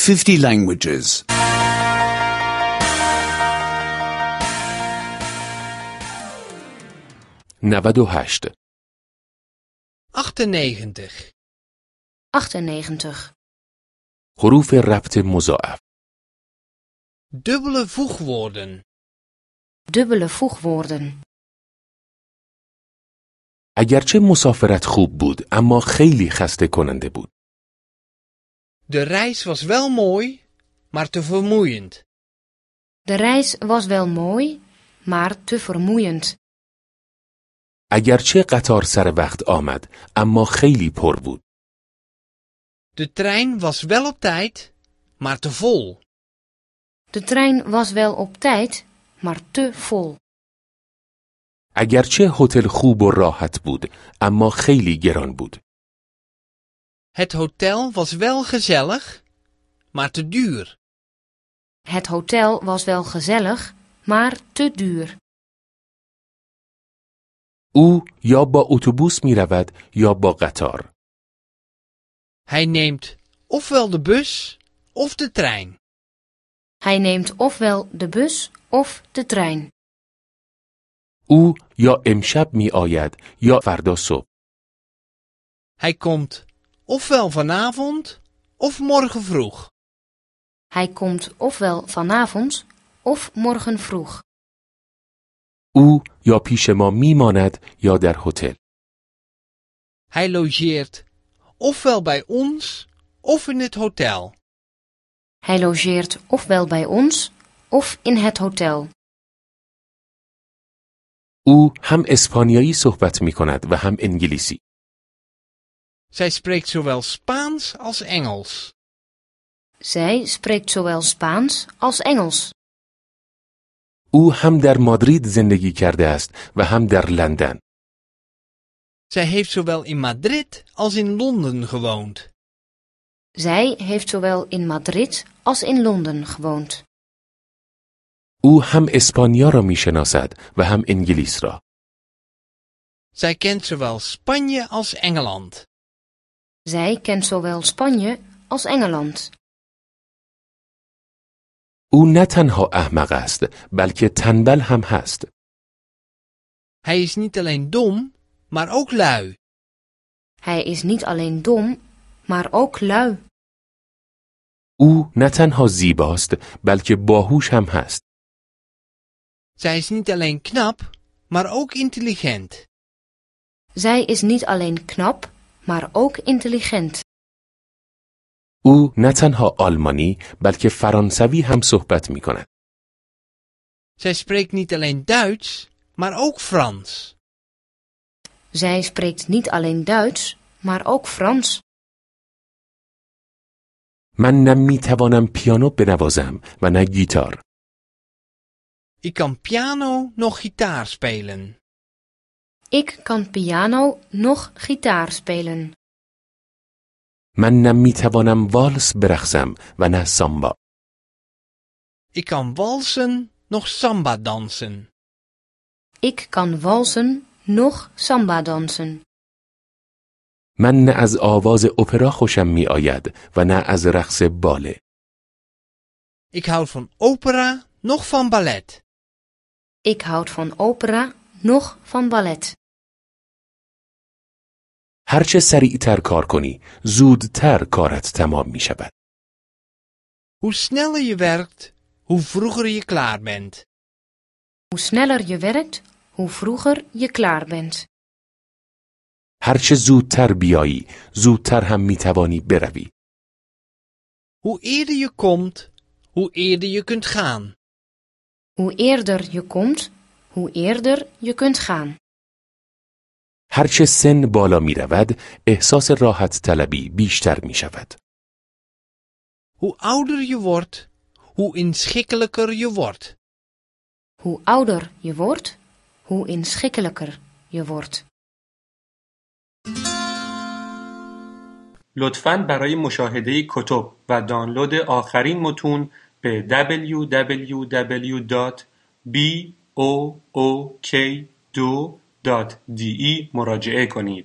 50 languages. 98 98. 98. حروف ربط مضاعف. Dubbele voegwoorden. Dubbele voegwoorden. اگرچه مسافرت خوب بود اما خیلی خسته کننده بود. De reis was wel mooi, maar te vermoeiend. De reis was wel mooi, maar te vermoeiend. اگرچه قطار سر وقت آمد اما خیلی پر بود. De trein was wel op tijd, maar te vol. De trein was wel op tijd, maar te vol. اگرچه هتل خوب و راحت بود اما خیلی گران بود. Het hotel was wel gezellig, maar te duur. Het hotel was wel gezellig, maar te duur. او یا با اتوبوس می رود یا با قطار. Hij neemt ofwel de bus of de trein. Hij neemt ofwel de bus of de trein. او یا امشب می آید یا فردا صبح. Hij komt ofwel vanavond of morgen vroeg. Hij komt ofwel vanavond of morgen vroeg. او یا پیش ما می ماند یا در هتل. Hij logeert ofwel bij ons of in het hotel. Hij logeert ofwel bij ons of in het hotel. او هم اسپانیایی صحبت می کند و هم انگلیسی. Zij spreekt zowel Spaans als Engels. Zij spreekt zowel Spaans als Engels. او هم در مادرید زندگی کرده است و هم در لندن. Zij heeft zowel in Madrid als in Londen gewoond. Zij heeft zowel in Madrid als in Londen gewoond. او هم اسپانیا را می شناسد و هم انگلیس را. Zij kent zowel Spanje als Engeland. Zij kent zowel Spanje als Engeland. او نه تنها احمق است بلکه تنبل هم هست. Hij is niet alleen dom, maar ook lui. Hij is niet alleen dom, maar ook lui. او نه تنها زیباست بلکه باهوش هم هست. Zij is niet alleen knap, maar ook intelligent. Zij is niet alleen knap, maar ook intelligent. او نه تنها آلمانی بلکه فرانسوی هم صحبت می کند. Zij spreekt niet alleen Duits, maar ook Frans. Zij spreekt niet alleen Duits, maar ook Frans. من نه می توانم پیانو بنوازم و نه گیتار. Ik kan piano nog gitaar spelen. Ik kan piano nog gitaar spelen. من نه می توانم والس برقصم و نه سامبا. Ik kan walsen, nog samba dansen. Ik kan walsen nog samba dansen. من نه از آواز اپرا خوشم می آید و نه از رقص باله. Ik houd van opera, nog van ballet. Ik houd van opera, nog van ballet. هرچه سریعتر کار کنی زودتر کارت تمام می شود. Hoe sneller je werkt, hoe vroeger je klaar bent. Hoe sneller je werkt, hoe vroeger je klaar bent. هرچه زودتر بیایی زودتر هم می توانی بروی. Hoe eerder je komt, hoe eerder je kunt gaan. Hoe eerder je komt, hoe eerder je kunt gaan. هرچه سن بالا می رود احساس راحت طلبی بیشتر می شود. Hoe ouder je wordt, hoe inschikkelijker je wordt. Hoe ouder je wordt, hoe inschikkelijker je wordt. لطفاً برای مشاهده کتب و دانلود آخرین متون به www.book2.de مراجعه کنید.